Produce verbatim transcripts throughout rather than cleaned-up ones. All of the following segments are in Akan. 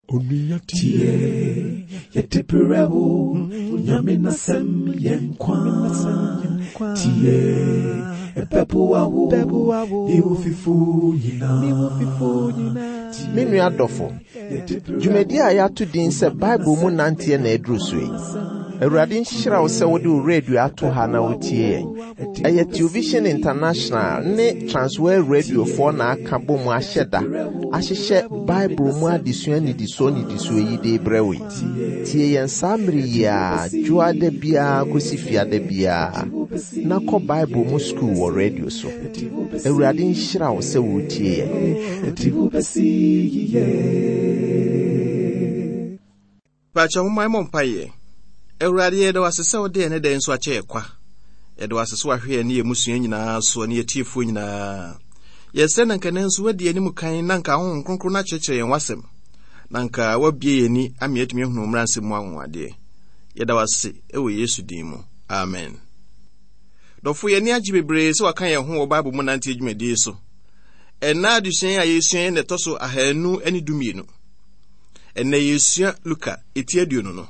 Tie, yɛde brɛ wo, Nyame n'asɛm yɛ nkwa. Tie, ɛbɛboa wo, ne wo fifo nyinaa. Me nua dɔfo, dwumadi a yɛato din sɛ Bible mu nanteɛ na aduru so yi. Awurade nhyira wo sɛ wode wo radio ato ha na wotie yɛn. Ɛyɛ Television International ne Transworld Radiofoɔ na aka bɔ mu ahyɛ da ahyehyɛ Bible mu adesua nnidisoɔ nnidisoɔ yi de brɛ wo yi. Tie yɛn saa mmere yi a dwoada biara kɔsi fiada biara na kɔ Bible mu sukuu wɔ radio so. Awurade nhyira wo sɛ wotie yɛn. Ɛde wo bɛsi yiye. Paakyɛ momma yɛmmɔ mpaeɛ. Awurade, yɛda wo ase sɛ wode ɛne dɛn nso akyɛ yɛ kwa. Yɛda wo ase sɛ wahwɛ yɛn ne yɛn mmusua nyinaa so ne yɛtiefoɔ nyinaa. Yɛsrɛ na nka nso woadi anim kan na nka Honhom Kronkron no akyerɛkyerɛ yɛn w'asɛm. Na nka woabue yɛn ani ama yɛatumi ahunu mmara nsɛm mu anwanwadeɛ. Yɛda wo ase wɔ Yesu din mu. Amen. Dɔfo, yɛn ani agye bebree sɛ waka yɛn ho wɔ Bible mu nante dwumadie so. Ɛnna adesua a yɛsua yi na ɛtɔ so ahanu ne dumienu. Ɛnnɛ yɛsua Luka eti aduonu no.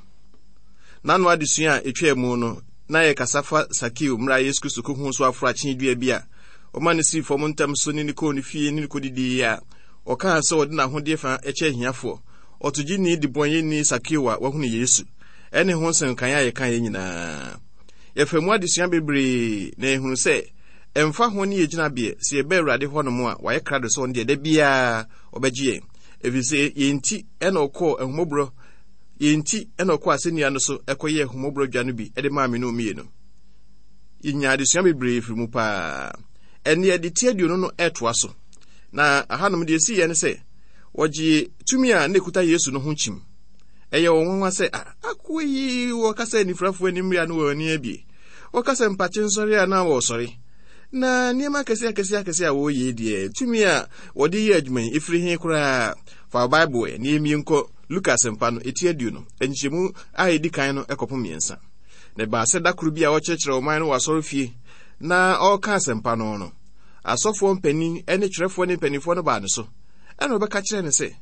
N'ano adesua a etwaa mu no, na yɛkasa fa Sakeo mmerɛ a Yesu Kristo kɔhu so aforo akyen dua bi a ɔma no sii fam ntam so ne ne kɔɔ ne fie ne ne kɔdidii a ɔkaa sɛ ɔde n'ahodeɛ fa kyɛ ahiafoɔ. Ɔtogyeni debɔnyɛni Sakeo a wahunu Yesu ɛne ho nsɛnkan a yɛka yɛ nyinaa. Yɛfa mu adesua bebree na yɛhunu sɛ ɛmfa ho ne yɛgyinabeɛ sɛ yɛbɛ Awurade hɔnom a wayɛ krado sɛ ɔno deɛ da biara ɔbɛgye yɛn. Ɛfiri sɛ yɛn nti ɛna ɔkɔɔ ahummɔborɔ yɛn nti ɛna ɔkɔɔ asɛnnua no so ɛkɔyɛɛ ahummɔborɔ dwa no bi ɛde maa me no mmienu. Yɛnya adesua bebree firi mu paa. Ɛne yɛde ti aduonu no ɛtoa so. Na ahanom deɛ ɛsii yɛ ne sɛ wɔgye tumi a na ɛkuta Yesu no ho kyim. Ɛyɛ wɔn nwanwa sɛ akoa yi wɔkasa anifirafoɔ anim a na wɔn ani abie. Wɔkasa mpakye nsɔre a na wɔresɔre. Na nneɛma akɛseɛ akɛseɛ akɛseɛ a wɔreyɛ deɛ tumi a wɔde yɛ adwuma yi ɛfiri he koraa. Fa Bible ɛ na yɛmmie nkɔ Luka asɛmpa no ɛti aduonu nkyɛmu a ɛdi kan no ɛkɔpem mmiɛnsa. Na ɛbaa sɛ da koro bi a ɔkyerɛkyerɛ ɔman no wɔ asɔrefie na ɔreka asɛmpa no no, asɔfoɔ mpanin ne twerɛfoɔ ne mpanimfoɔ no baa ne so. Ɛna ɔbɛka kyerɛ no sɛ,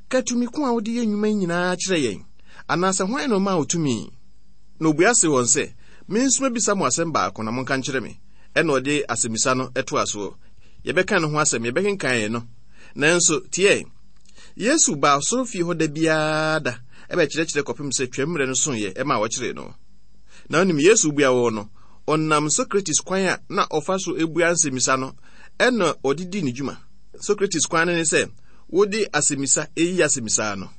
ka tumi ko a wode yɛ nnwuma yi nyinaa kyerɛ yɛn, anaasɛ hwan na ɔmaa wo tumi? Na obua se wɔn sɛ, me nso mɛbisa mo asɛm baako na monka nkyerɛ me. Ɛna ɔde asɛmmisa no ɛtoa soɔ. Yɛbɛka ne ho asɛm, yɛbɛkenkan yɛn no. Nanso, tie, Yesu baa asɔrefie hɔ da biara da ɛbɛkyerɛkyerɛ kɔpem sɛ twam mmerɛ no soeɛ ɛma wɔkyeree no. Na onim Yesu bua wɔn no, ɔnam Socrates kwan a na ɔfa so ebua nsɛmmisa no ɛna ɔde di ne dwuma. Socrates kwan no ne sɛ wode asɛmmisa eyi asɛmmisa no.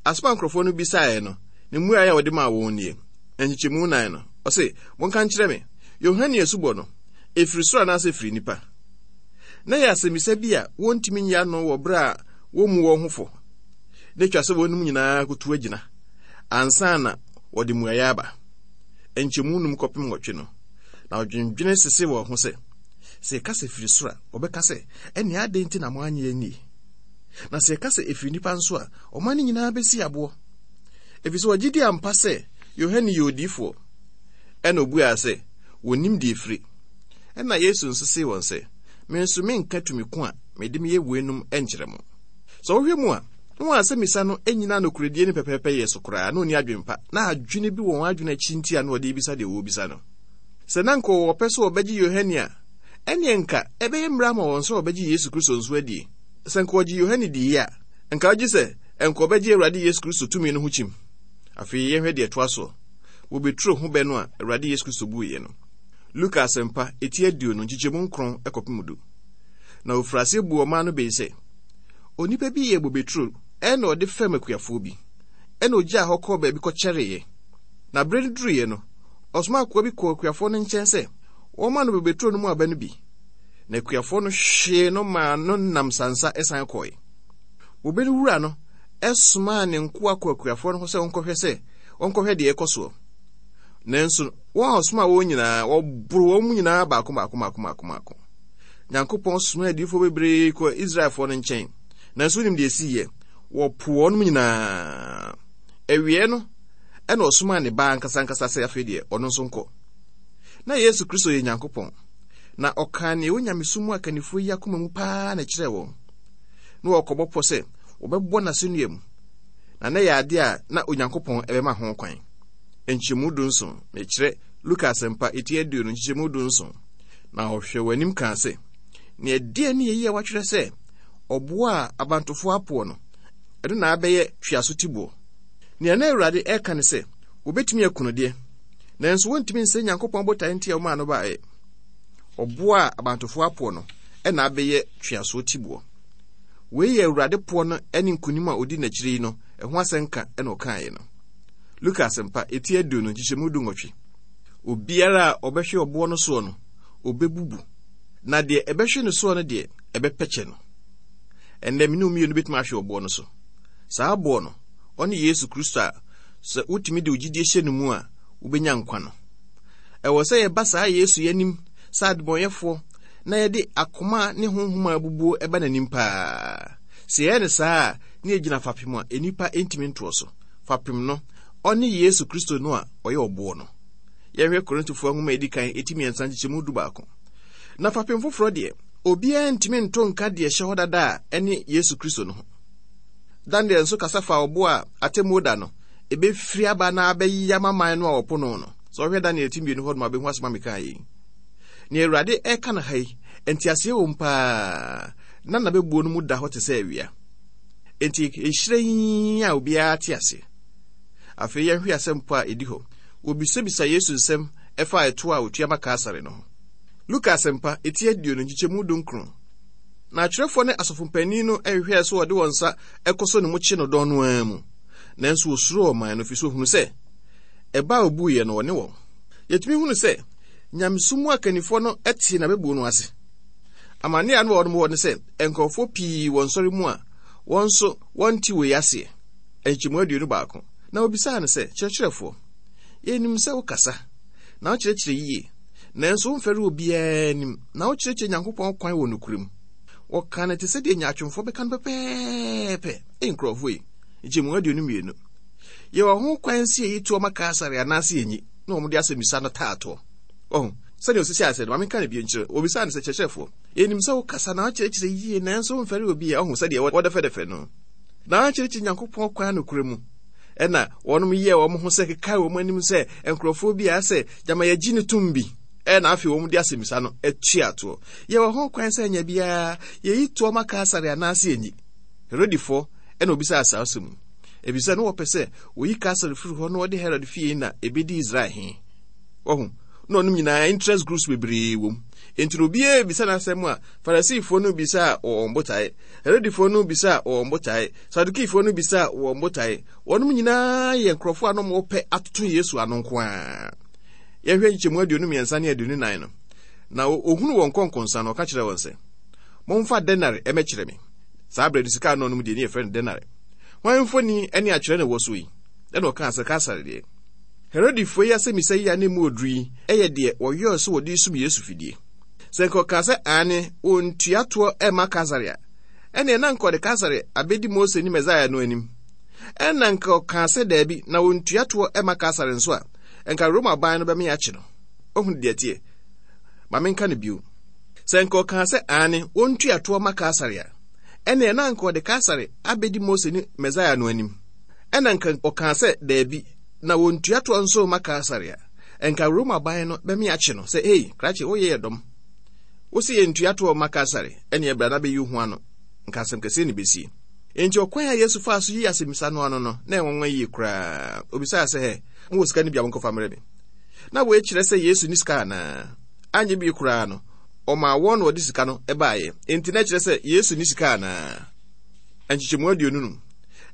Asɛm a nkurɔfoɔ no bisaeɛ no, ne mmuaeɛ a wɔde maa wɔn nie. Nkyekyɛmu nan no, ɔse, monka nkyerɛ me, Yohane asubɔ no, ɛfiri soro anaasɛ ɛfiri nnipa? Na yɛ asɛmmisa bi a wɔntumi nyi ano wɔ berɛ a wɔmmu wɔn ho fɔ. Na atwa sɛ wɔnom nyinaa kotu agyina ansa na wɔde mmuaeɛ aba. Nkyɛmu num kɔpem nwɔtwe no, na ɔdwendwene sese wɔn ho sɛ, sɛ yɛka sɛ firi soro a, wɔbɛka sɛ, ɛnea adɛn nti na moanyɛ annie? Na sɛ yɛka sɛ ɛfiri nnipa nso a, ɔman no nyinaa bɛsi aboɔ. Ɛfiri sɛ wɔgye di ampa sɛ Yohane yɛ odiyifoɔ. Ɛna obuaa sɛ, wɔnnim deɛ ɛfiri. Ɛna Yesu nso see wɔn sɛ, me nso menka tumi ko a mede meyɛ weinom nkyerɛ mo. Sɛ wohwɛ mu a, na wɔn asɛmmisa no nyina nokoredie ne pɛpɛɛpɛ yɛ so koraa na ɔnni adwempa, na adwene bi wɔ wɔn adwene akyi nti a na wɔde bisa deɛ wɔrebisa no. Sɛ na nka wɔwɔ pɛ sɛ wɔbɛgye Yohane a, ɛneɛ nka ɛbɛyɛ mmerɛ ama wɔn sɛ wɔbɛgye Yesu Kristo nso adie. Sɛ nka wɔgye Yohane diiɛ a, nka wogye sɛ nka wɔbɛgye Awurade Yesu Kristo tumi no ho kyim. Afei yɛnhwɛ deɛ ɛtoa soɔ. Wɔbɛturo ho bɛ no a Awurade Yesu Kristo buiɛ no. Luka asɛmpa eti aduonu nkyekyɛmu nkron kɔpem du. Na ofiri aseɛ buu ɔman no bɛ yi sɛ, onipa bi yɛ bobeturo ɛna ɔde fɛm akuafoɔ bi, ɛna ogyaa hɔ kɔɔ baabi kɔkyɛreeɛ. Na berɛ no duruiɛ no, ɔsoma akoa bi kɔɔ akuafoɔ no nkyɛn sɛ wɔmma no bobeturo no mu aba no bi. Na akuafoɔ no hwee no maa no nam sansa ɛsan kɔe. Bobe no wura no ɛsomaa ne nkoa kɔ akuafoɔ no hɔ sɛ wɔnkɔhwɛ sɛ wɔnkɔhwɛ deɛ ɛkɔ soɔ. Nanso wɔn a ɔsomaa wɔn nyinaa, wɔboro wɔn mu nyinaa baako baako baako baako baako. Nyankopɔn somaa adiyifoɔ bebree kɔ Israelfoɔ no nkyɛn. Nanso wonim deɛ ɛsiiɛ? Wɔpo wɔn nyinaa. Awiei no, ɛna ɔsomaa ne ba ankasa ankasa sɛ afei deɛ ɔno nso nkɔ. Na Yesu Kristo yɛ Nyankopɔn. Na ɔkaa nea ɛwɔ nyamesom mu akannifoɔ yi akoma mu paa na ɛkyerɛɛ wɔn. Na wɔkɔbɔ pɔ sɛ wɔbɛbɔ n'asɛnnua mu. Na na yɛ ade a na Onyankopɔn ɛbɛma ho kwan. Nkyɛmu dunson, mekyerɛ Luka asɛmpa eti aduonu nkyekyɛmu dunson. Na ɔhwɛ wɔn anim kaa sɛ, nea ɛdeɛ ne yɛyi a wɔatwerɛ sɛ ɔboɔ a abantofoɔ apoɔ no, ɛno na abɛyɛ tweaso tiboɔ. Nea na Awurade ɛreka ne sɛ, wobɛtumi aku no deɛ, nanso wontumi nsɛ Nyankopɔn botae nti a wɔmaa no baeɛ. Ɔboɔ a abantofoɔ apoɔ no, ɛna abɛyɛ tweaso tiboɔ. Wei yɛ Awurade poɔ no ne nkonim a odi n'akyiri yi no, ɛho asɛnka ɛna ɔkaeɛ no. Luka asɛmpa eti aduonu nkyekyɛmu du nwɔtwe. Obiara a ɔbɛhwɛ ɔboɔ no soɔ no, ɔbɛbubu. Na deɛ ɛbɛhwɛ no soɔ no deɛ, ɛbɛpɛkyɛ no. Ɛnnɛ me ne wo mmienu bɛtumi ahwɛ ɔboɔ no so. Saa aboɔ no, ɔne Yesu Kristo a sɛ wotumi de wo gyidie hyɛ no mu a, wobɛnya nkwa no. Ɛwɔ sɛ yɛba saa Yesu yi anim sɛ adebɔnyɛfoɔ na yɛde akoma ne honhom a abubuo ɛba n'anim paa. Sɛ yɛyɛ no saa a, ne yɛgyina fapem a nnipa ntumi ntoɔ so. Fapem no, ɔne Yesu Kristo no a ɔyɛ ɔboɔ no. Yɛhwɛ Korintofoɔ nwoma a edi kan eti mmiɛnsa nkyekyɛmu du baako. Na fapem foforɔ deɛ, obiara ntumi nto nka deɛ ɛhyɛ hɔ dada a ɛne Yesu Kristo no ho. Daniel nso kasa fa ɔboɔ a atemmuo da no, ebɛfiri aba na abɛyi ama man no a wɔpo no no. Sɛ ɔhwɛ Daniel ti mmienu hɔ nom a, wobɛhu asɛm a meka yi. Nea Awurade ɛreka no ha yi, nteaseɛ wɔ mu paa, na n'abɛbuo no mu da hɔ te sɛ awia. Enti ɛhyerɛn a obiara te ase. Afei yɛnhwɛ asɛm po a ɛdi hɔ. Wɔbisabisa Yesu nsɛm ɛfa ɛtoɔ a otua ma Kaesare no ho. Luka asɛmpa eti aduonu nkyekyɛmu dunkron. Na atwerɛfoɔ ne asɔfompanin no ɛhwehwɛɛ sɛ wɔde wɔn nsa ɛkɔsɔ ne mu kye no dɔn no ara mu. Nanso wɔsuro ɔman no, ɛfiri sɛ wɔhunu sɛ ɛba a obuiɛ no wɔne wɔn. Yɛtumi hunu sɛ nyamesom mu akannifoɔ no te n'abɛbuo no ase. Amanneɛ a na wɔn wɔ ne sɛ nkurɔfoɔ pii wɔ nsɔre mu a wɔn nso wɔnte wei aseɛ. Nkyɛmu aduonu baako. Na obisaa no sɛ, kyerɛkyerɛfoɔ, yɛnim sɛ wokasa na wokyerɛkyerɛ yie, nanso womfɛre obiara anim, na wokyerɛkyerɛ Nyankopɔn kwan wɔ nokorɛ mu. Wɔka no te sɛ deɛ nyaatwomfoɔ bɛka no pɛpɛɛpɛ. Ei, nkurɔfoɔ yi, nkyɛmu aduonu mmienu. Yɛwɔ ho kwan sɛ yɛyi toɔ ma Kaesare anaasɛ yɛnyi, na wɔn de asɛmmisa no taa toɔ. Ɔho, sɛdeɛ osisi asɛ no, ma menka no bio nkyerɛ. Wɔbisaa no sɛ, kyerɛkyerɛfoɔ, yɛnim sɛ wokasa na wokyerɛkyerɛ yie, nanso womfɛre obiara. Ɔho, sɛdeɛ wɔdɛfɛdɛfɛ no. Na wokyerɛkyerɛ Nyankopɔn kwan nokorɛ mu. Ɛna wɔnom yɛɛ wɔn ho sɛ kekae wɔn anim sɛ nkurɔfoɔ bi a sɛ gyama yɛgye ne tom bi. Ɛna afei wɔn de asɛmmisa no atua toɔ. Yɛwɔ ho kwan sɛ anya biara, yɛyi toɔ ma Kaesare anaasɛ yɛnyi. Herodifoɔ ɛna obisaa saa asɛm mu. Ebisa no wɔpɛ sɛ wɔyi Kaesare firi hɔ na wɔde Herod fie na ebedi Israel he. Wɔho, na ɔnom nyinaa interest groups bebree wɔ mu. Enti na obiara bisa n'asɛm a, Farisifoɔ no bisa a wɔn botae, Herodifoɔ no bisa a wɔn botae, Sadukifoɔ no bisa a wɔn botae. Wɔnom nyinaa yɛ nkurɔfoɔ a na wɔpɛ atoto Yesu ano nko ara. Yɛhwɛ nkyɛmu aduonu mmiɛnsa ne aduonu nan no. Na ohunu wɔn nkɔnkɔnsa no, ɔka kyerɛ wɔn sɛ, momfa denare ɛmɛkyerɛ me. Saa berɛ no sika ano nom deɛ ne yɛfrɛ no denare. Hwan mfoni ne atwerɛ na ɛwɔ so yi? Ɛna ɔkaa sɛ Kaesare deɛ. Herodifoɔ yi asɛmmisa yi a ne mu oduru yi ɛyɛ deɛ wɔyɔɔ sɛ wɔde sum Yesu fidie. Sɛ nka ɔkaa sɛ aane, wɔntua toɔ ɛmma Kaesare a, ɛneɛ na nka ɔde Kaesare abɛdi Mose ne Mesaia no anim. Ɛna nka ɔkaa sɛ daabi, na wɔntua toɔ ɛmma Kaesare nso a, nka Roma ban no bɛme akye no. Ohunu deɛ teɛ. Ma menka no bio. Sɛ nka ɔkaa sɛ aane, wɔntua toɔ ma Kaesare a, ɛneɛ na nka ɔde Kaesare abɛdi Mose ne Mesaia no anim. Ɛna nka ɔkaa sɛ daabi, na wɔntua toɔ nso ma Kaesare a, nka Roma ban no bɛme akye no sɛ, ei, krakye, woyɛ yɛ dɔm. Wo se yɛntua toɔ ma Kaesare, ɛneɛ bra na bɛyi wo ho ano. Nka asɛm kɛseɛ ne bɛsie. Enti ɔkwan a Yesu faa so yi asɛmmisa no ano no, na ɛnwanwa yie koraa. Obisaa sɛ, hɛ, mowɔ sika no bi a monkɔfa mmerɛ me. Na wei kyerɛ sɛ Yesu ni sika anaa? Anyɛ bi koraa no, ɔmaa wɔn na wɔde sika no baeɛ. Enti na ɛkyerɛ sɛ Yesu ni sika anaa? Nkyekyɛmu aduonu num.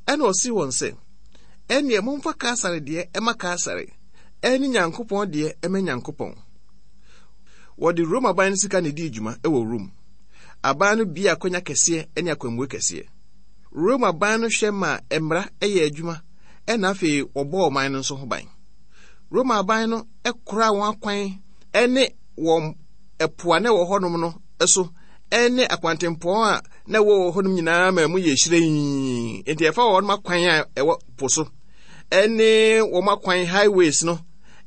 Ɛna ɔsee wɔn sɛ, ɛneɛ momfa Kaesare deɛ ɛma Kaesare, ɛne Nyankopɔn deɛ ɛma Nyankopɔn. Wɔde Roma aban no sika na edii dwuma wɔ Rome. Aban no bie akwanya kɛseɛ ne akwamue kɛseɛ. Roma aban no hwɛ ma mmara yɛ adwuma, ɛna afei wɔbɔɔ ɔman no nso ho ban. Roma aban no koraa wɔn akwan ne wɔn ɛpo a na ɛwɔ hɔnom no so ne akwantempɔn a na ɛwɔ hɔnom nyinaa ma mu yɛ hyerɛnn. Enti ɛfa wɔn akwan a ɛwɔ po so ne wɔn akwan highways no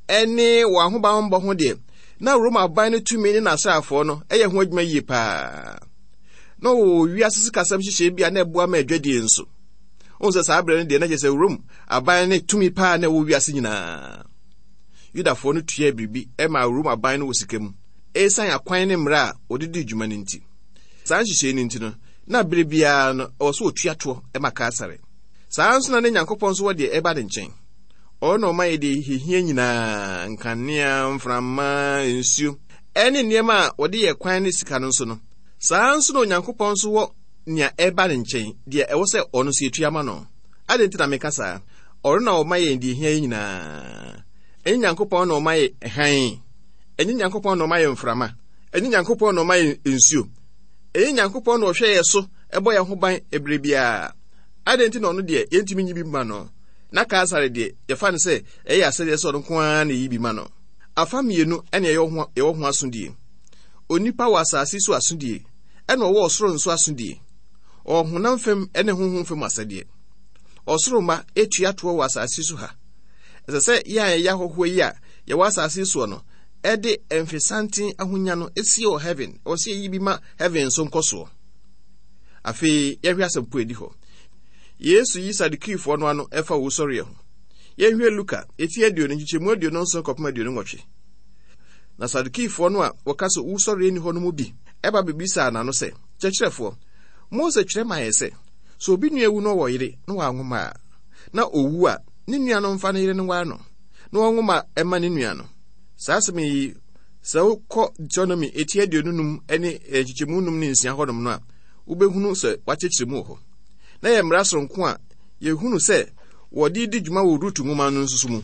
ne wɔn ahobanbɔ ho deɛ, na Roma aban no tumi ne n'asraafoɔ no yɛ ho adwuma yie paa. Na wɔwɔ wiase sikasɛm nhyehyɛe bi a na ɛboa ma adwadie nso. Wohu sɛ saa berɛ no deɛ na kyerɛ sɛ Rome aban ne tumi paa na ɛwɔ wiase nyinaa. Yudafoɔ no tuaa biribi maa Rome aban no wɔ sika mu, esiane akwan ne mmara a wɔde dii dwuma no nti. Saa nhyehyɛe no nti no, na bere biara no ɛwɔ sɛ wɔtua toɔ ma Kaesare. Saa ara nso na ne Nyankopɔn nso wɔ deɛ ɛba ne nkyɛn. Ɔno na ɔma yɛ deɛ yɛhia nyinaa, nkanea, mframa, nsuo, ɛne nneɛma a wɔde yɛ kwan ne sika no nso no. Saa ara nso na Onyankopɔn nso wɔ nea ɛba ne nkyɛn, deɛ ɛwɔ sɛ ɔno nso yɛtua ma no. Adɛn nti na meka saa? Ɔno na ɔma yɛn deɛ ɛhia yɛn nyinaa. Ɛnyɛ Nyankopɔn na ɔma yɛ hann? Ɛnyɛ Nyankopɔn na ɔma yɛ mframa? Ɛnyɛ Nyankopɔn na ɔma yɛ nsuo? Ɛnyɛ Nyankopɔn na ɔhwɛ yɛ so bɔ yɛn ho ban ɛberɛ biara? Adɛn nti na ɔno deɛ yɛntumi nyi bi ma no, na Kaesare deɛ yɛfa no sɛ ɛyɛ asɛdeɛ sɛ ɔno nko ara na ɛyi bi ma no? Afa mmienu na yɛwɔ ho, yɛwɔ ho asodie. Onipa wɔ asase so asodie, ɛna ɔwɔ ɔsoro nso asodie. Ɔwɔ honam fam ne honhom fam asɛdeɛ. Ɔsoro mma tua toɔ wɔ asase so ha. Ɛsɛ sɛ yɛn a yɛyɛ ahɔhoɔ yi a yɛwɔ asase soɔ no ɛde mfesanten ahonya no sie wɔ heaven. Ɛwɔ sɛ yɛyi bi ma heaven nso nkɔsoɔ. Afei yɛhwɛ asɛmpo edi hɔ. Yesu yi Sadukifoɔ no ano ɛfa owusɔreɛ ho. Yɛnhwɛ Luka eti aduonu nkyekyɛmu aduonu nson kɔpem aduonu nwɔtwe. Na Sadukifoɔ no a wɔka sɛ owusɔreɛ nni hɔ no mu bi ɛba bebisaa n'ano sɛ, Kyerɛkyerɛfoɔ, Mose twerɛ maa yɛ sɛ, sɛ obi nua wu na ɔwɔ yere na wanwo mma a, na owu a, ne nua no mfa ne yere no nware no, na ɔnwo mma ɛma ne nua no. Saa asɛm yi, sɛ wokɔ Deuteronomy eti aduonu num ne nkyekyɛmu num ne nsia hɔnom no a, wobɛhunu sɛ wɔakyerɛkyerɛ mu wɔ hɔ. Na yɛ mmara soronko a yɛhunu sɛ wɔde di dwuma wɔ Rut nwoma no nso so mu.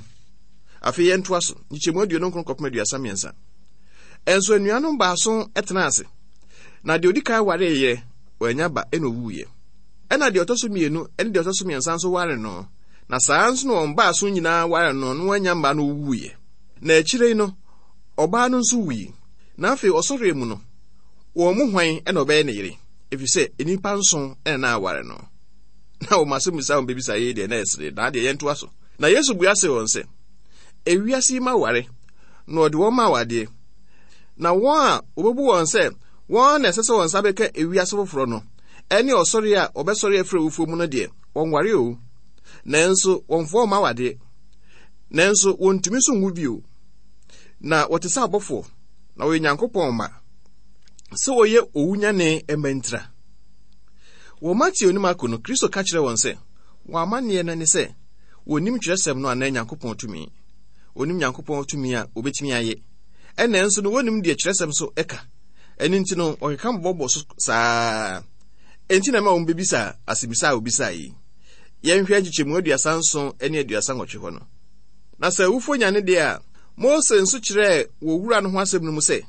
Afei yɛntoa so, nkyekyɛmu aduonu nkron kɔpem aduasa mmiɛnsa. Ɛnso anuanom baason tenaa ase, na deɛ ɔdi kan waree yerɛ, wannya ba, ɛna ɔwuiɛ. Ɛna deɛ ɔtɔ so mmienu ne deɛ ɔtɔ so mmiɛnsa nso waree no, na saa nso na wɔn baason nyinaa waree no, na wɔannya mma na ɔwuiɛ. Na akyire yi no, ɔbaa no nso wui. Na afei ɔsɔreɛ mu no, wɔn mu hwan na ɔbɛyɛ ne yere? Ɛfiri sɛ nnipa nson na na aware no. Na wɔn asɛmmisa a wɔbɛbisa yei deɛ na ɛsere, na adeɛ yɛntoa so. Na Yesu bua see wɔn sɛ, Ewiase yi ma ware, na ɔde wɔn ma awadeɛ. Na wɔn a wɔbɛbu wɔn sɛ wɔn na ɛsɛ sɛ wɔn nsa bɛka ewiase foforɔ no, ɛne ɔsɔre a wɔbɛsɔre afiri awufoɔ mu no deɛ, wɔnware o, nanso wɔmfa wɔn mma awadeɛ. Nanso wɔntumi nso nwu bio. Na wɔte sɛ abɔfoɔ, na wɔyɛ Nyankopɔn mma, sɛ wɔyɛ owunyane mma ntira. Wɔ Mateo ne Marko no, Kristo ka kyerɛ wɔn sɛ, wɔn amanneɛ no ne sɛ, wɔnnim twerɛsɛm no anaa Nyankopɔn tumi. Wɔnnim Nyankopɔn tumi a wɔbɛtumi ayɛ. Ɛnna nso no, wɔnnim deɛ twerɛsɛm so ka. Ɛno nti no, wɔkeka bɔbɔ so saa. Enti na ɛma wɔn bɛbisa asɛmmisa a wɔbisaa yi. Yɛnhwɛ nkyekyɛmu aduasa nson ne aduasa nwɔtwe hɔ no. Na sɛ awufoɔ nyane deɛ a, Mose nso kyerɛɛ wɔ wura no ho asɛm no mu sɛ,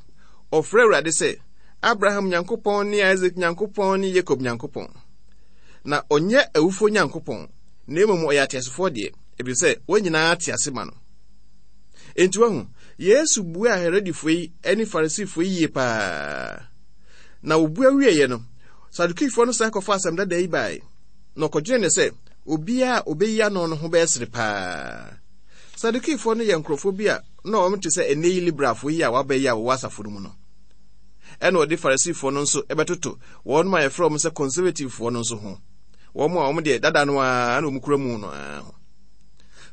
ɔfrɛ Awurade sɛ, Abraham Nyankopɔn ne Isak Nyankopɔn ne Yakob Nyankopɔn. Na ɔnyɛ awufoɔ Nyankopɔn, na mmom ɔyɛ ateasefoɔ deɛ, ɛfiri sɛ wɔn nyinaa te ase ma no. Enti wahu, Yesu buaa Herodefoɔ yi ne Farisifoɔ yi yie paa. Na wɔbua wieeɛ no, Sadukifoɔ no san kɔfa asɛm dada yi bae, na ɔkɔdwenee no sɛ obiara a ɔbɛyi ano no ho bɛyɛ sere paa. Sadukifoɔ no yɛ nkurɔfoɔ bi a na wɔn te sɛ ɛnnɛ yi liberalfoɔ yi a wɔaba yi a wɔwɔ asafo no mu no. Ɛna ɔde Farisifoɔ no nso bɛtoto wɔn a yɛfrɛ wɔn sɛ conservativefoɔ no nso ho. Wɔn a wɔn deɛ dada no ara na wɔn kura mu no ara ho.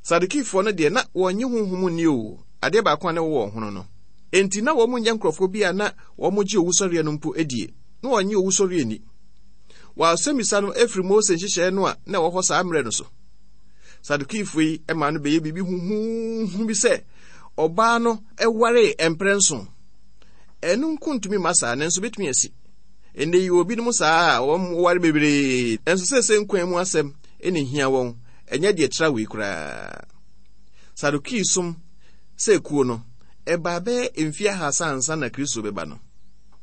Sadukifoɔ no deɛ na wɔnnye honhom nni o, adeɛ baako a na ɛwɔ wɔn ho no no. Enti na wɔn nyɛ nkurɔfoɔ bi a na wɔgye owusɔreɛ no mpo die. Na wɔnnye owusɔreɛ nni. Wɔn asɛmmisa no firi Mose nhyehyɛeɛ no a na ɛwɔ hɔ saa mmerɛ no so. Sadukifoɔ yi maa no bɛyɛ biribi huhuuhu bi sɛ ɔbaa no waree mprɛ nson. Ɛno nko ntumi mma saa, nanso bɛtumi asi. Ɛnnɛ yi wɔ binom saa a wɔware bebree, nanso seesei nkwa mu asɛm na ehia wɔn, ɛnyɛ deɛ tra wei koraa. Sadukii som sɛ kuo no, ɛbaa bɛyɛ mfeɛ ahasa ansa na Kristo bɛba no.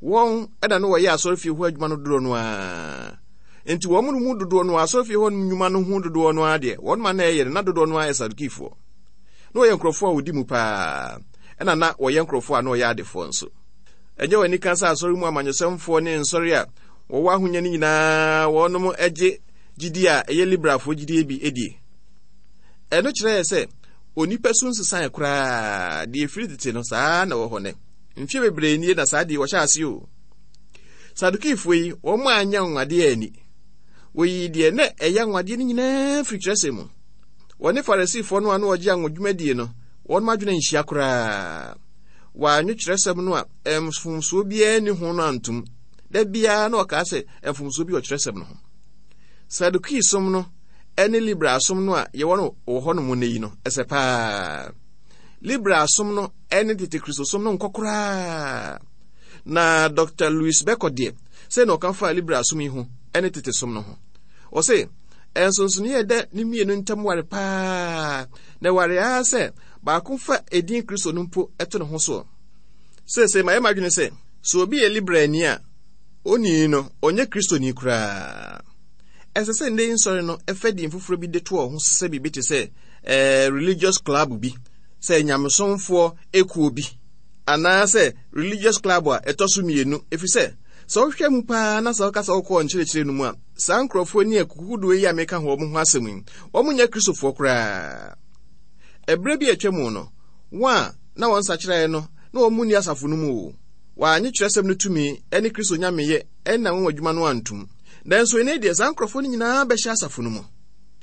Wɔn na na wɔyɛ asɔrefie hɔ adwuma no dodoɔ no ara. Enti wɔn mu dodoɔ no asɔrefie hɔ nnwuma no ho dodoɔ no ara deɛ, wɔn ma na ɛyɛ no, na dodoɔ no ara yɛ Sadukifoɔ. Na wɔyɛ nkurɔfoɔ a wɔdi mu paa, ɛna na wɔyɛ nkurɔfoɔ a na wɔyɛ adefoɔ nso. Ɛnyɛ wɔn anika sɛ asɔre mu amanyɔsɛmfoɔ ne nsɔre a wɔwɔ ahonya no nyinaa wɔnom gye gyidie a ɛyɛ liberalfoɔ gyidie bi die. Ɛno kyerɛ sɛ onipa su nsesae koraa, deɛ ɛfiri tete no saa na ɛwɔ hɔ nɛ. Mfeɛ bebree nie na saa deɛ wɔhyɛ ase o. Sadukifoɔ yi, wɔn anyɛ anwanwadeɛ ani. Wɔyii deɛ na ɛyɛ anwanwadeɛ no nyinaa firi kyerɛsɛm mu. Wɔne Farisifoɔ no a na wɔgye anwodwumadie no, wɔn adwene nhyia koraa. Wɔanwe kyerɛsɛm no a mfomsoɔ biara nni ho no antom. Da biara na ɔkaa sɛ mfomsoɔ bi wɔ kyerɛsɛm no ho. Sadukiisom no ne Liberalsom no a yɛwɔ no wɔ hɔnom nnɛ yi no, ɛsɛ paa. Liberalsom no ne tete Kristosom no nkɔ koraa. Na Dr. Louis Beko deɛ, sɛ na ɔka faa Liberalsom yi ho ne tete som no ho. Ɔse, nsonsonoeɛ a ɛda ne mmienu ntam ware paa, na ɛware ara sɛ baako fa edin Kristo no mpo to ne ho soɔ. Seesei mayɛ m'adwene sɛ, sɛ obi yɛ Liberalni a, onii no, ɔnyɛ Kristoni koraa. Ɛsɛ sɛ nnɛ yi nsɔre no fa din foforɔ bi de to wɔn ho sɛ biribi te sɛ eh, religious club bi, sɛ nyamesomfoɔ ekuo bi, anaasɛ religious club a ɛtɔ so mmienu, ɛfiri sɛ sɛ wohwɛ mu paa na sɛ woka sɛ wokɔ nkyerɛkyerɛ no mu a, saa nkurɔfoɔ ni akukudoɔ yi a meka ho wɔn ho asɛm yi, wɔn nyɛ Kristofoɔ koraa. Ɛberɛ bi a atwa mu no, wɔn a na wɔn nsakyeraeɛ no, na wɔn mu nni asafo no mu o. Wɔannye kyerɛsɛm no tumi ne Kristo nyameyɛ ne n'anwanwadwuma no antom. Nanso ɛnnɛ deɛ saa nkurɔfoɔ no nyinaa bɛhyɛ asafo no mu.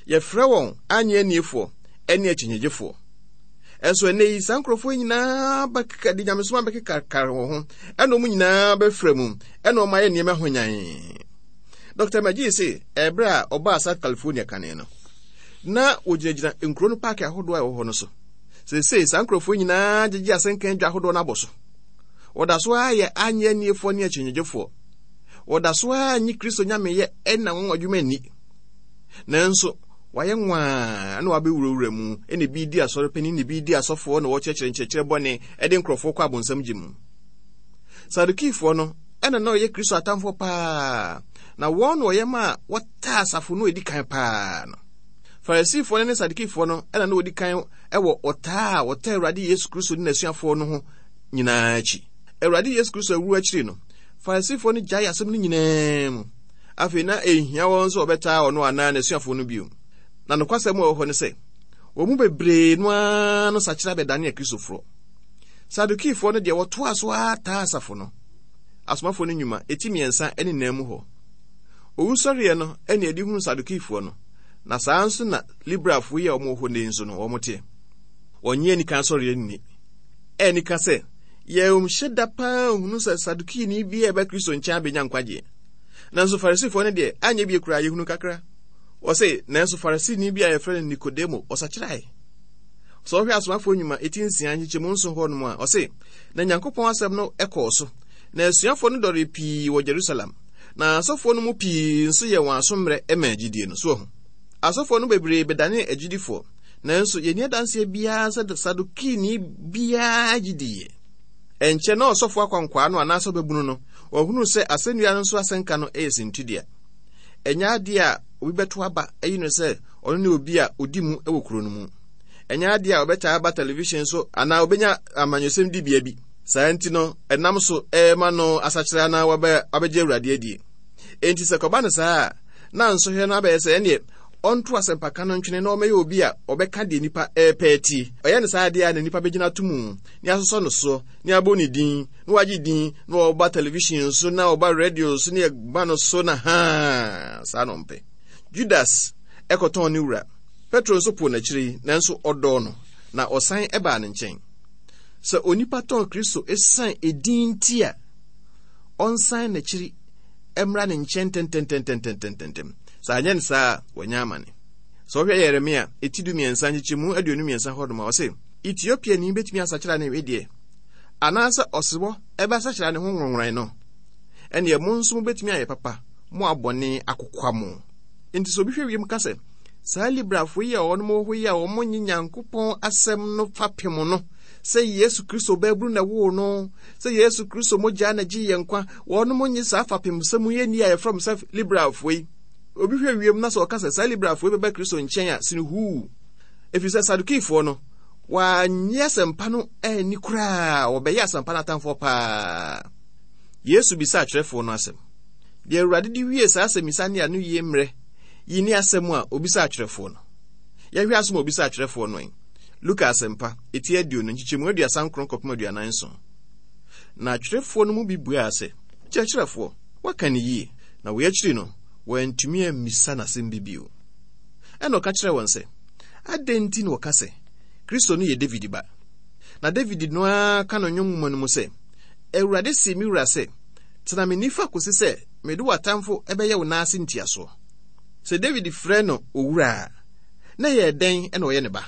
Yɛfrɛ wɔn annye anniefoɔ ne akyinnyegyefoɔ. Ɛnso ɛnnɛ yi saa nkurɔfoɔ yi nyinaa bɛkeka de nyamesom abɛkekakare wɔn ho, ɛna wɔn nyinaa bɛfra mu, ɛna wɔn ayɛ nneɛma hwanyann. Dɔkta McGee se ɛberɛ a ɔbaa South California kane no, na wɔgyinagyina nkuro no paake ahodoɔ a ɛwɔ hɔ no so. Seesei saa nkurɔfoɔ nyinaa gyegye asɛnka adwa ahodoɔ no abɔ so. Wɔda so ara yɛ annye anniefoɔ ne akyinnyegyefoɔ. Wɔda so ara nnye Kristo nyameyɛ ɛna wɔn adwuma nni. Nanso, wɔayɛ nwaa na wɔabɛwurawura mu, ɛna ebi di asɔre panin, na ebi di asɔfoɔ, na wɔkyerɛkyerɛ nkyerɛkyerɛ bɔne ɛde nkurɔfoɔ kɔ abonsam gye mu. Sadukifoɔ no, ɛna na ɔyɛ Kristo atamfoɔ paa, na wɔn na wɔyɛ maa wɔtaa asafo no a ɛdi kan paa no. Farisifoɔ no ne Sadukifoɔ no ɛna na wɔdi kan wɔ ɔtaa a wɔtaa Awurade Yesu Kristo ne n'asuafoɔ no ho nyinaa akyi. Awurade Yesu Kristo awuo akyiri no, Farisifoɔ no gyae asɛm no nyinaa mu. Afei na ɛnhia wɔn sɛ wɔbɛtaa ɔno anaa n'asuafoɔ no bio. Na nokwasɛm a ɛwɔ hɔ ne sɛ, wɔn mu bebree no ara no sakyera bɛdane Akristofoɔ. Sadukifoɔ no deɛ wɔtoaa so ara taa asafo no. Asomafoɔ no nnwuma, eti mmiɛnsa ne nan mu hɔ. Owusɔreɛ no ne ɛde hunu Sadukifoɔ no, na saa nso na Liberalfoɔ yi a wɔwɔ hɔ nnɛ yi nso no wɔn teɛ. Wɔnnye anikan sɔreɛ nni. Ɛnika sɛ, yɛnhyɛ da paa nhunu sɛ Sadukini bi a ɛba Kristo nkyɛn abɛnya nkwagyeɛ. Nanso Farisifoɔ no deɛ, anyɛ bie koraa yɛhunu kakra. Wɔse, nanso Farisini bi a yɛfrɛ no Nikodemo, ɔsakyerae. Sɛ wohwɛ Asomafoɔ nnwuma eti nsia nkyekyɛmu nson hɔ nom a, ɔse, na Nyankopɔn asɛm no kɔɔ so, na asuafoɔ no dɔree pii wɔ Jerusalem, na asɔfoɔ no mu pii nso yɛɛ wɔn aso mmerɛ maa gyidie no. So wahu? Asɔfoɔ no bebree bɛdanee agyidifoɔ, nanso yɛnni adanseɛ biara sɛ Sadukini biara gye diiɛ. Ɛnkyɛ na ɔsɔfoɔ akwankwaa no anaasɛ ɔbabunu no, wahunu sɛ asɛnnua no so asɛnka no yɛ sintidua. Ɛnyɛ adeɛ a obi bɛto aba ayi no sɛ ɔno ne obi a ɔdi mu wɔ kuro no mu. Ɛnyɛ adeɛ a ɔbɛtaa aba television so anaa ɔbɛnya amanyɔsɛm dibea bi. Saa nti no, ɛnam so ɛrema no asakyera na wabɛgye Awurade adie. Enti sɛ kɔba no saa a, na nsɔhwɛ no abɛyɛ sɛ ɛneɛ ɔnto asɛmpaka no ntwene na ɔmmɛyɛ obi a ɔbɛka deɛ nnipa repɛ atie. Ɔyɛ no saa adeɛ a na nnipa bɛgyina ato mu ne asosɔ no soɔ ne abɔ ne din na wagye din na ɔba television so na ɔba radio so ne ɛba no so na haa saa na ɔmpɛ. Judas ɛkɔtɔn ne wura. Petro nso poo n'akyiri yi, nanso ɔdɔɔ no na ɔsan ɛbaa ne nkyɛn. Sɛ onipa tɔn Kristo esiane edin nti a, ɔnsan n'akyiri mmra ne nkyɛn ntɛntɛntɛntɛntɛntɛm. Sɛ anyɛ no saa a, wanya amane. Sɛ wohwɛ Yeremia eti du mmiɛnsa nkyekyɛmu aduonu mmiɛnsa hɔ nom a, ɔse, Etiopiani betumi asakyera ne wedeɛ, anaasɛ ɔsebɔ ɛbɛsakyera ne ho nworonnworan no? Ɛnneɛ mo nso mobɛtumi ayɛ papa, mo a bɔne akokwa mo. Enti sɛ obi hwɛ wiem ka sɛ, saa Librafo yi a wɔnom wɔ hɔ yi a wɔnnye Nyankopɔn asɛm no fapem no, sɛ Yesu Kristo baabunu na ɛwoo no, sɛ Yesu Kristo mogya na gye yɛn nkwa, wɔnom nye saa fapem sɛm yi nni a yɛfrɛ wɔn sɛ Liberalfoɔ yi. Obi hwɛ wiem na sɛ ɔka sɛ saa Liberalfoɔ yi bɛba Kristo nkyɛn a, sene huu. Ɛfiri sɛ Sadukifoɔ no, wɔannye asɛmpa no anni koraa, wɔbɛyɛ asɛmpa no atamfoɔ paa. Yesu bisaa atwerɛfoɔ no asɛm. Deɛ Awurade de wie saa asɛmmisa ne anoyie mmerɛ yi ne asɛm a obisaa atwerɛfoɔ no. Yɛhwɛ asɛm a obisaa atwerɛfoɔ no ɛ. Luka Asɛmpa, eti aduonu, nkyekyɛmu aduasa nkron kɔpem aduanan nson. Na atwerɛfoɔ no mu bi buaa sɛ, Kyerɛkyerɛfoɔ, woaka no yie. Na wei akyiri no, Wɔantumi ammisa n'asɛm bi bio. Ɛna ɔka kyerɛɛ wɔn sɛ, Adɛn nti na wɔka sɛ Kristo no yɛ David ba? Na David no ara ka no nnwom nwoma no mu sɛ, Awurade see me wura sɛ, Tena me nifa kosi sɛ mede w'atamfo bɛyɛ wo nan ase ntiasoɔ. Sɛ David frɛ no owura a, na ɛyɛ dɛn na ɔyɛ ne ba?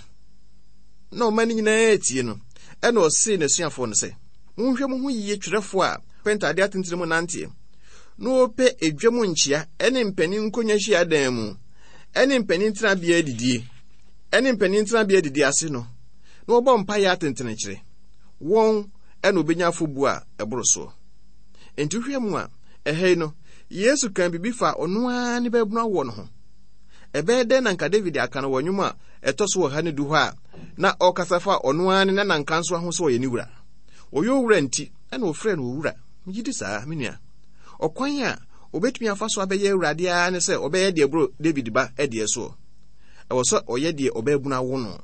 Na ɔman no nyinaa tie no, ɛna ɔsee n'asuafoɔ no sɛ, Monhwɛ mo ho yie twerɛfoɔ a pɛ ntadeɛ atentene mu nanteɛ, na wɔpɛ edwa mu nkyea ne mpanin nkonnwa hyiadan mu, ne mpanin tenabea adidie, ne mpanin tenabea adidie ase no, na wɔbɔ mpaeɛ atentene kyerɛ wɔn, ɛna wɔbɛnya afɔbuo a ɛboro soɔ. Enti wohwɛ mu a, ɛha yi no, Yesu kan biribi fa ɔno ara ne baabunu awoɔ no ho. Ɛbɛyɛ dɛn na nka David aka no wɔ nnwom a ɛtɔ so ɔha ne du hɔ a na ɔrekasa fa ɔno ara ne nanankansowa ho sɛ ɔyɛ ne wura? Ɔyɛ owura nti, ɛna ɔfrɛɛ no owura. Megye di saa, me nua. Ɔkwan a obetumi afa so abɛyɛ awurade ara ne sɛ ɔbɛyɛ deɛ ɛboro David ba deɛ soɔ. Ɛwɔ sɛ ɔyɛ deɛ ɔbaabunu awo no.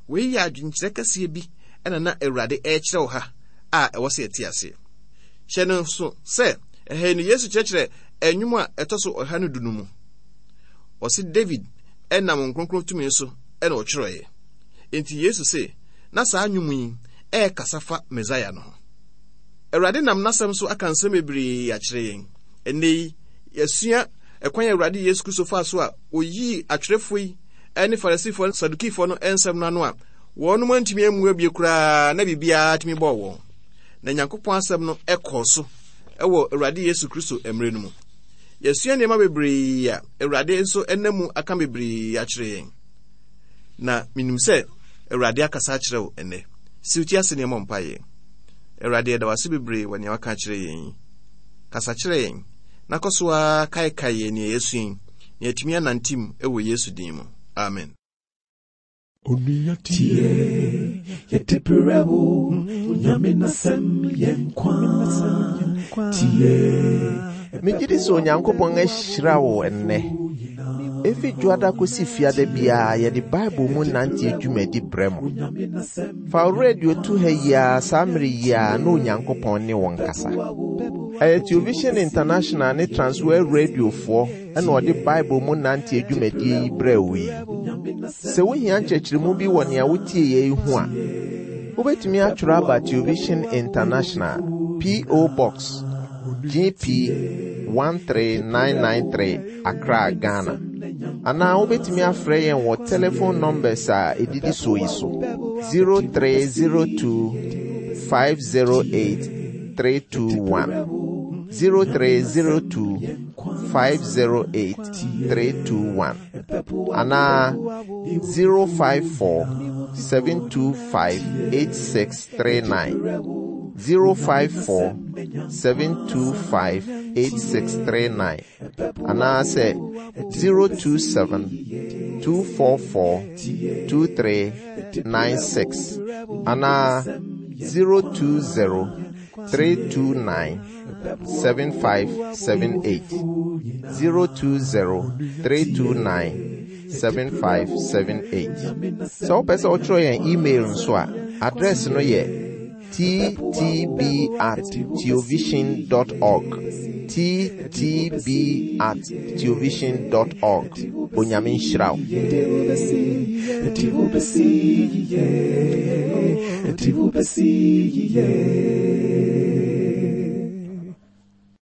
Wei yɛ adwenkyerɛ kɛseɛ bi na na Awurade ɛrekyerɛ wɔ ha a ɛwɔ sɛ yɛte aseɛ. Hyɛ no nso sɛ ɛha yi no Yesu kyerɛkyerɛ nnwom a ɛtɔ so ɔha no du no mu. Ɔse David ɛnam nkronkron tumi so ɛna ɔtwerɛeɛ. Enti Yesu se na saa nnwom yi ɛrekasa fa Mesaia no ho. Awurade nam n'asɛm so aka nsɛm bebree akyerɛ yɛn. Ɛnnɛ yi, yɛasua ɛkwan a Awurade Yesu Kristo faa so a oyii atwerɛfoɔ yi ne Farisifoɔ ne Sadukifoɔ no nsɛm no ano a wɔnom antumi ammu abie koraa na biribiara tumi bɔɔ wɔn. Na Nyankopɔn asɛm no kɔɔ so wɔ Awurade Yesu Kristo mmerɛ no mu. Yɛasua nneɛma bebree a Awurade nso nam mu aka bebree akyerɛ yɛn. Na menim sɛ Awurade akasa akyerɛ wo ɛnnɛ. Si wo ti ase na yɛmmɔ mpaeɛ. Awurade, yɛda wo ase bebree wɔ nea waka akyerɛ yɛn yi. Kasa kyerɛ yɛn, na kɔ so ara kaekae yɛn nea yɛasua yi, na yɛatumi anante mu wɔ Yesu din mu. Amen. Onua tie, yɛde brɛ wo, Onyame n'asɛm yɛ nkwa. Tie. Megye di sɛ Onyankopɔn ahyira wo ɛnnɛ. Efi Dwoada kosi Fiada biara yɛde Bible mu nanteɛ dwumadi brɛ mo. Fa wo radio to ha yi ara saa mmere yi ara na Onyankopɔn ne wo nkasa. Ɛyɛ Television International ne Transworld Radiofoɔ ɛna ɔde Bible mu nanteɛ dwumadie yi brɛ wo yi. Sɛ wohia nkyerɛkyerɛmu bi wɔ nea wotie yɛ yi ho a, wobɛtumi atwerɛ aba Television International, P O. Box G P one three nine nine three, Accra, Ghana. Anaa wobɛtumi afrɛ yɛn wɔ telephone numbers a ɛdidi so yi so: zero three zero two five zero eight three two one, zero three zero two five zero eight three two one, anaa zero five four seven two five eight six three nine, zero five four seven two five eight six three nine, anaasɛ zero two seven two four four two three nine six, anaa zero two zero three two nine seven five seven eight, zero two zero three two nine seven five seven eight. Sɛ wopɛ sɛ wotwerɛ yɛn email nso a, address no yɛ T T B at theovision dot org, T T B at theovision dot org. Onyame nhyira wo. Yɛde wo bɛsi yie, yɛde wo bɛsi yie.